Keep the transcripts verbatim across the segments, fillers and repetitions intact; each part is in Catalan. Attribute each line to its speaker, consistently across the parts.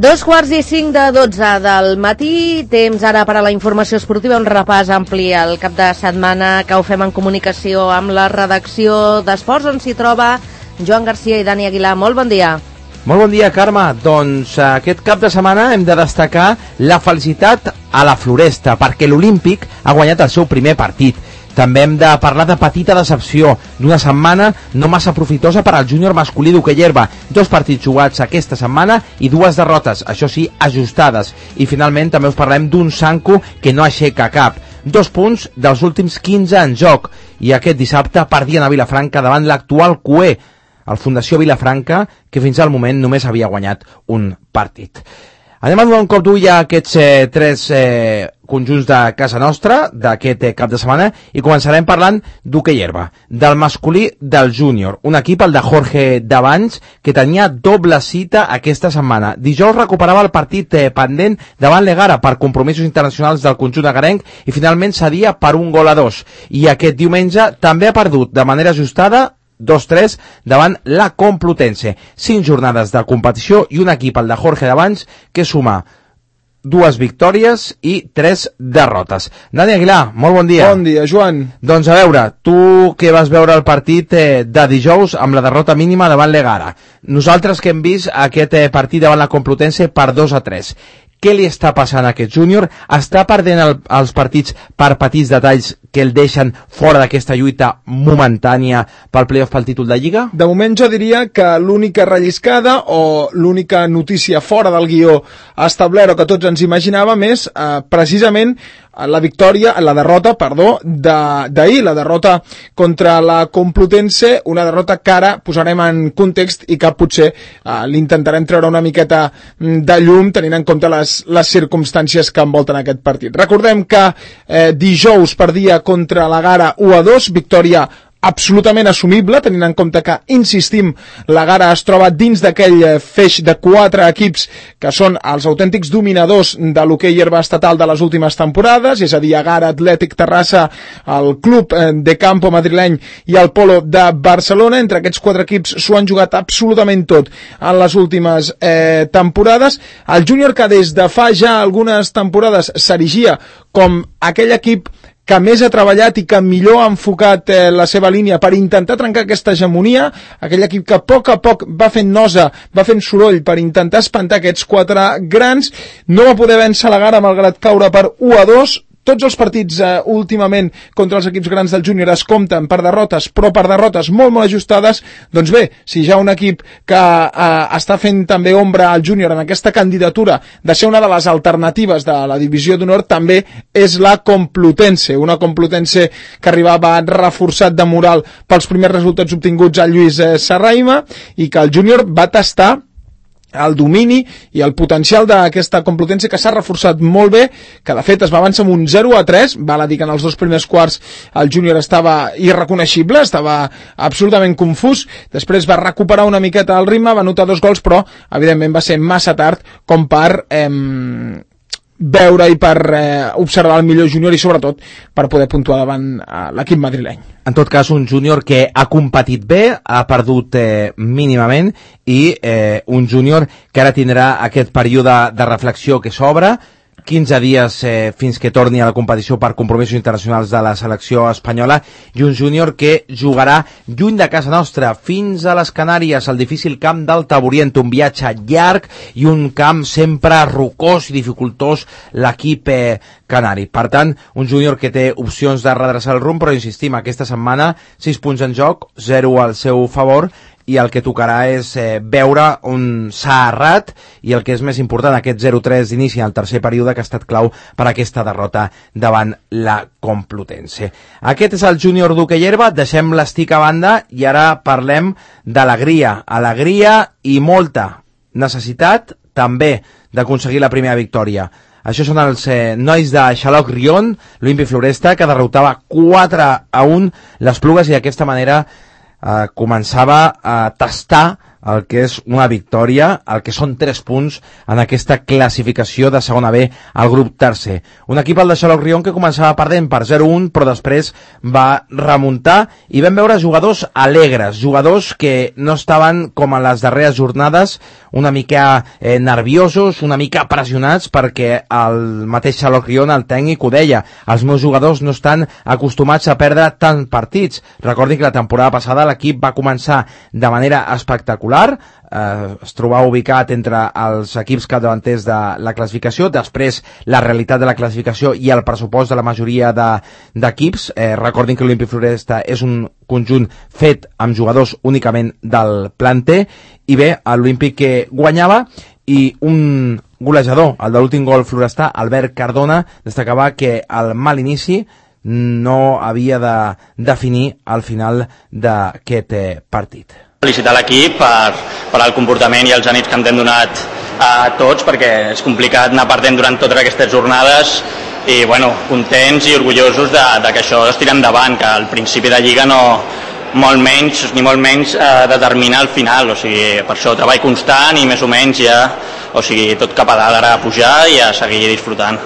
Speaker 1: Dos quarts i cinc de dotze del matí, temps ara per a la informació esportiva, un repàs ampli al cap de setmana que ho fem en comunicació amb la redacció d'Esports, on s'hi troba Joan Garcia i Dani Aguilar. Molt bon dia.
Speaker 2: Molt bon dia, Carme. Doncs aquest cap de setmana hem de destacar la felicitat a la Floresta, perquè l'Olímpic ha guanyat el seu primer partit. També hem de parlar de petita decepció d'una setmana no massa profitosa per al júnior masculí d'hoquei herba. Dos partits jugats aquesta setmana i dues derrotes, això sí, ajustades. I finalment també us parlem d'un Sanco que no aixeca cap. Dos punts dels últims quinze en joc. I aquest dissabte perdien a Vilafranca davant l'actual Q E, el Fundació Vilafranca, que fins al moment només havia guanyat un partit. Anem a donar un cop d'ull a aquests eh, tres eh, conjunts de casa nostra d'aquest eh, cap de setmana i començarem parlant d'hoquei herba, del masculí del júnior, un equip, el de Jorge D'Abans, que tenia doble cita aquesta setmana. Dijous recuperava el partit eh, pendent davant l'Egara per compromisos internacionals del conjunt agarenc i finalment cedia per un gol a dos. I aquest diumenge també ha perdut de manera ajustada dos tres davant la Complutense. Cinc jornades de competició i un equip, el de Jorge D'Abans, que suma dues victòries i tres derrotes. Dani Aguilar, molt bon dia.
Speaker 3: Bon dia, Joan.
Speaker 2: Doncs a veure, tu que vas veure el partit eh, de dijous amb la derrota mínima davant l'Egara. Nosaltres que hem vist aquest eh, partit davant la Complutense per dos a tres. Què li està passant a aquest júnior? Està perdent el, els partits per petits detalls que el deixen fora d'aquesta lluita momentània pel playoff pel títol de Lliga?
Speaker 3: De moment jo diria que l'única relliscada o l'única notícia fora del guió establert o que tots ens imaginàvem és eh, precisament la victòria, la derrota, perdó, d'ahir, la derrota contra la Complutense, una derrota que ara posarem en context i que potser eh, l'intentarem treure una miqueta de llum tenint en compte les, les circumstàncies que envolten aquest partit. Recordem que eh, dijous perdia contra la Gara u a dos, victòria absolutament assumible, tenint en compte que, insistim, la Gara es troba dins d'aquell feix de quatre equips que són els autèntics dominadors de l'hoquei herba estatal de les últimes temporades, és a dir, Gara, Atlètic Terrassa, el Club de Campo madrileny i el Polo de Barcelona. Entre aquests quatre equips s'ho han jugat absolutament tot en les últimes eh, temporades. El júnior, que des de fa ja algunes temporades s'erigia com aquell equip que més ha treballat i que millor ha enfocat eh, la seva línia per intentar trencar aquesta hegemonia, aquell equip que a poc a poc va fent nosa, va fent soroll per intentar espantar aquests quatre grans, no va poder vèncer la Gara malgrat caure per u a dos. Tots els partits eh, últimament contra els equips grans del júnior es compten per derrotes, però per derrotes molt molt ajustades. Doncs bé, si ja un equip que eh, està fent també ombra al júnior en aquesta candidatura de ser una de les alternatives de la divisió d'honor, també és la Complutense, una Complutense que arribava reforçat de moral pels primers resultats obtinguts a Lluís eh, Serraima i que el júnior va tastar el domini i el potencial d'aquesta Complutense, que s'ha reforçat molt bé, que de fet es va avançar amb un zero a tres, val a dir que en els dos primers quarts el júnior estava irreconeixible, estava absolutament confús, després va recuperar una miqueta el ritme, va anotar dos gols, però evidentment va ser massa tard com per eh, veure i per eh, observar el millor júnior i sobretot per poder puntuar davant eh, l'equip madrileny.
Speaker 2: En tot cas, un júnior que ha competit bé, ha perdut eh, mínimament i eh, un júnior que ara tindrà aquest període de reflexió que s'obre, quinze dies eh, fins que torni a la competició per compromisos internacionals de la selecció espanyola, i un júnior que jugarà lluny de casa nostra, fins a les Canàries, al difícil camp del Taburient, un viatge llarg i un camp sempre rocós i dificultós l'equip eh, canari. Per tant, un júnior que té opcions de redreçar el rumb, però insistim, aquesta setmana sis punts en joc, zero al seu favor, i el que tocarà és eh, veure on s'ha errat i el que és més important, aquest zero tres d'inici al tercer període, que ha estat clau per aquesta derrota davant la Complutense. Aquest és el júnior d'hoquei herba, deixem l'estic a banda i ara parlem d'alegria, alegria i molta necessitat també d'aconseguir la primera victòria. Això són els eh, nois de Xaloc Rion, l'Olímpic Floresta, que derrotava quatre a un les Plugues i d'aquesta manera Uh, començava a tastar el que és una victòria, el que són tres punts en aquesta classificació de segona B al grup tercer. Un equip, el de Xaloc-Rion, que començava perdent per zero un, però després va remuntar i vam veure jugadors alegres, jugadors que no estaven com a les darreres jornades, una mica eh, nerviosos, una mica pressionats, perquè el mateix Xaloc-Rion, el tècnic, ho deia, els meus jugadors no estan acostumats a perdre tant partits. Recordi que la temporada passada l'equip va començar de manera espectacular, eh, es trobava ubicat entre els equips capdavanters de la classificació, després la realitat de la classificació i el pressupost de la majoria d'equips. De, eh, recordin que l'Olímpic Floresta és un conjunt fet amb jugadors únicament del planter, i bé, l'Olímpic que guanyava, i un golejador, el de l'últim gol florestà, Albert Cardona, destacava que el mal inici no havia de definir al final d'aquest eh, partit.
Speaker 4: Felicitar l'equip per, per el comportament i els ànims que ens hem donat a tots, perquè és complicat anar perdent durant totes aquestes jornades, i bueno, contents i orgullosos de, de que això es tira endavant, que al principi de Lliga no, molt menys, ni molt menys eh, determina el final, o sigui, per això treball constant i més o menys ja, o sigui, tot cap a dalt ara a pujar i a seguir disfrutant.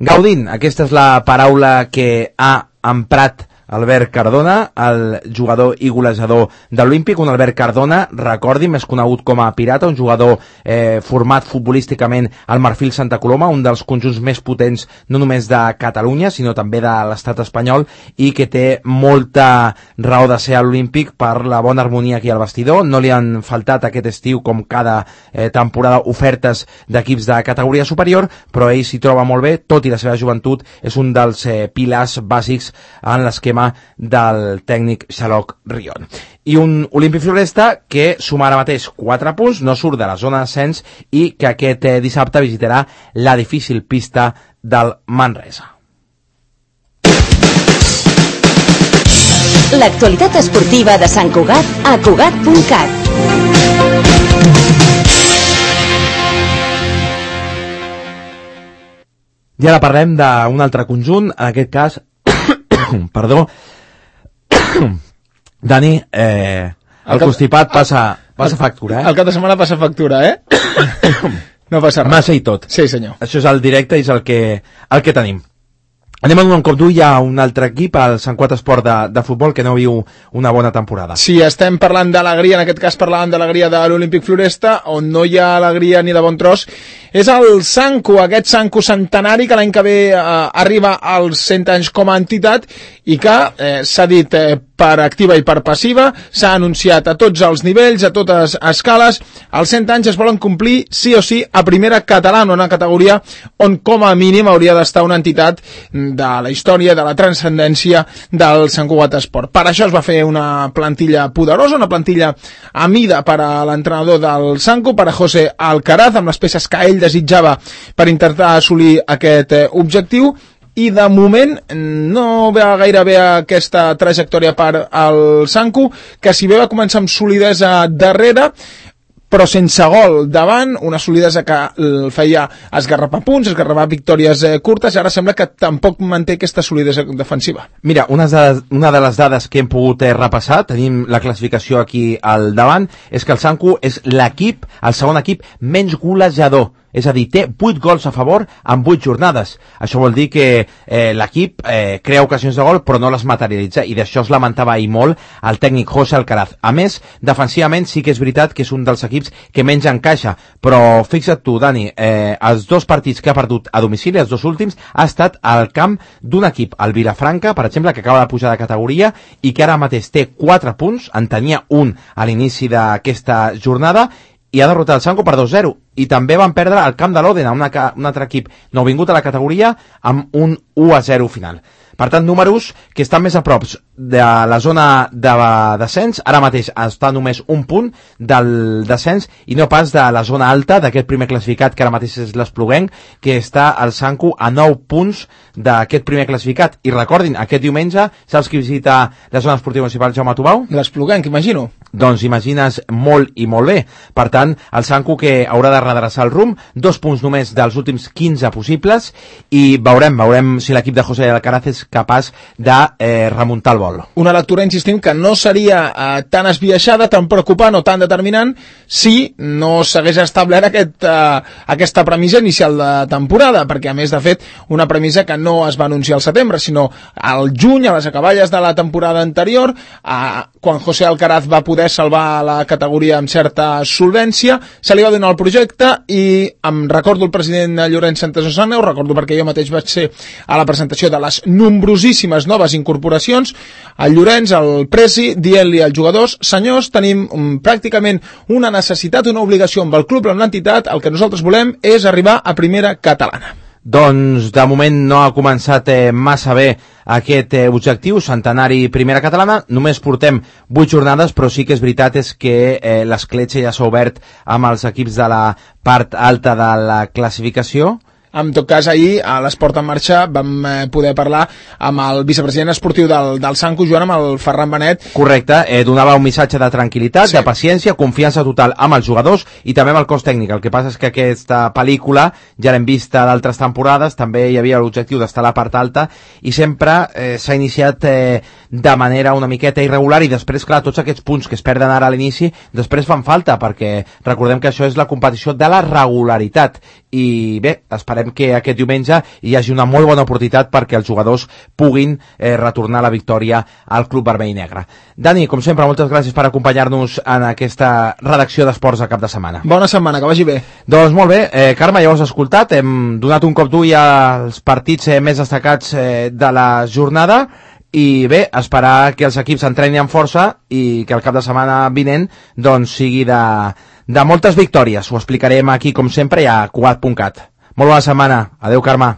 Speaker 2: Gaudint, aquesta és la paraula que ha emprat Albert Cardona, el jugador i golejador de l'Olímpic. Un Albert Cardona, recordi, més conegut com a Pirata, un jugador eh, format futbolísticament al Marfil Santa Coloma, un dels conjunts més potents no només de Catalunya, sinó també de l'estat espanyol, i que té molta raó de ser a l'Olímpic per la bona harmonia aquí al vestidor. No li han faltat aquest estiu, com cada eh, temporada, ofertes d'equips de categoria superior, però ell s'hi troba molt bé, tot i la seva joventut és un dels eh, pilars bàsics en l'esquema del tècnic Xaloc-Rion. I un Olímpic Floresta que suma ara mateix quatre punts, no surt de la zona d'ascens i que aquest eh, dissabte visitarà la difícil pista del Manresa.
Speaker 5: L'actualitat esportiva de Sant Cugat a Cugat punt cat.
Speaker 2: I ara parlem d'un altre conjunt, en aquest cas perdó Dani, eh, el cap... constipat passa, passa factura, eh?
Speaker 3: El cap de setmana passa factura, eh? No passa res.
Speaker 2: Massa i tot.
Speaker 3: Sí, senyor.
Speaker 2: Això és el directe i és el que, el que tenim. Anem a donar un cop d'ull a un altre equip, el Sant Cugat Esport de, de futbol, que no viu una bona temporada.
Speaker 3: Sí, estem parlant d'alegria, en aquest cas parlàvem d'alegria de l'Olímpic Floresta, on no hi ha alegria ni de bon tros. És el Sanco, aquest Sanco centenari que l'any que ve eh, arriba als cent anys com a entitat i que eh, s'ha dit eh, per activa i per passiva, s'ha anunciat a tots els nivells, a totes escales, els cent anys es volen complir sí o sí a primera catalana, una categoria on com a mínim hauria d'estar una entitat de la història, de la transcendència del Sant Cugat Esport. Per això es va fer una plantilla poderosa, una plantilla a mida per a l'entrenador del Sanco, per a José Alcaraz, amb les peces que ell desitjava per intentar assolir aquest eh, objectiu, i de moment no va gaire bé aquesta trajectòria per al Sanco, que si bé va començar amb solidesa darrere, però sense gol davant, una solidesa que el feia esgarrapar punts, esgarrapar victòries eh, curtes, i ara sembla que tampoc manté aquesta solidesa defensiva.
Speaker 2: Mira, una de, una de les dades que hem pogut eh, repassar, tenim la classificació aquí al davant, és que el Sanco és l'equip, el segon equip menys golejador. És a dir, té vuit gols a favor en vuit jornades. Això vol dir que eh, l'equip eh, crea ocasions de gol però no les materialitza, i d'això es lamentava ahir molt el tècnic José Alcaraz. A més, defensivament sí que és veritat que és un dels equips que menys encaixa, però fixa't tu, Dani, eh, els dos partits que ha perdut a domicili, els dos últims, ha estat al camp d'un equip, el Vilafranca, per exemple, que acaba de pujar de categoria i que ara mateix té quatre punts, en tenia un a l'inici d'aquesta jornada, i ha derrotat el Sanco per dos zero. I també van perdre al camp de l'Òdena, un altre equip nouvingut a la categoria, amb un u a zero final. Per tant, números que estan més a prop de la zona de descens, ara mateix està només un punt del descens i no pas de la zona alta d'aquest primer classificat, que ara mateix és l'Espluguenc, que està al Sanco a nou punts d'aquest primer classificat. I recordin, aquest diumenge, saps qui visita la zona esportiva municipal Jaume Tubau?
Speaker 3: L'Espluguenc, imagino.
Speaker 2: Doncs imagines molt i molt bé. Per tant, el Sanku que haurà de redreçar el rumb, dos punts només dels últims quinze possibles, i veurem, veurem si l'equip de José Alcaraz és capaç de eh, remuntar el vol.
Speaker 3: Una lectura, insistim, que no seria eh, tan esbiaixada, tan preocupant o tan determinant si no s'hagués establert aquest, eh, aquesta premissa inicial de temporada, perquè a més, de fet, una premissa que no es va anunciar al setembre, sinó al juny, a les acaballes de la temporada anterior, eh, quan José Alcaraz va poder salvar la categoria amb certa solvència, se li va donar el projecte i em recordo el president Llorenç Santasusana, ho recordo perquè jo mateix vaig ser a la presentació de les nombrosíssimes noves incorporacions, el Llorenç, el presi, dient-li als jugadors, senyors, tenim um, pràcticament una necessitat, una obligació amb el club, amb l'entitat, el que nosaltres volem és arribar a primera catalana.
Speaker 2: Doncs de moment no ha començat eh, massa bé aquest eh, objectiu, centenari primera catalana, només portem vuit jornades, però sí que és veritat és que eh, l'escletxa ja s'ha obert amb els equips de la part alta de la classificació.
Speaker 3: En tot cas, ahir, a l'Esport en Marxa, vam eh, poder parlar amb el vicepresident esportiu del, del Sanku, Joan, amb el Ferran Benet.
Speaker 2: Correcte, eh, donava un missatge de tranquil·litat, sí. de paciència, confiança total amb els jugadors i també amb el cos tècnic. El que passa és que aquesta pel·lícula ja l'hem vista d'altres temporades, també hi havia l'objectiu d'estar a la part alta i sempre eh, s'ha iniciat eh, de manera una miqueta irregular i després, clar, tots aquests punts que es perden ara a l'inici, després fan falta, perquè recordem que això és la competició de la regularitat. I bé, esperem que aquest diumenge hi hagi una molt bona oportunitat perquè els jugadors puguin eh, retornar la victòria al Club Vermell i Negre. Dani, com sempre, moltes gràcies per acompanyar-nos en aquesta redacció d'esports de cap de setmana.
Speaker 3: Bona setmana, que vagi bé.
Speaker 2: Doncs molt bé, eh, Carme, ja ho has escoltat, hem donat un cop d'ull als partits eh, més destacats eh, de la jornada i bé, esperar que els equips s'entrenin amb força i que el cap de setmana vinent doncs sigui de, de moltes victòries. Ho explicarem aquí com sempre i a Cugat punt cat. Molt bona setmana. Adéu, Carme.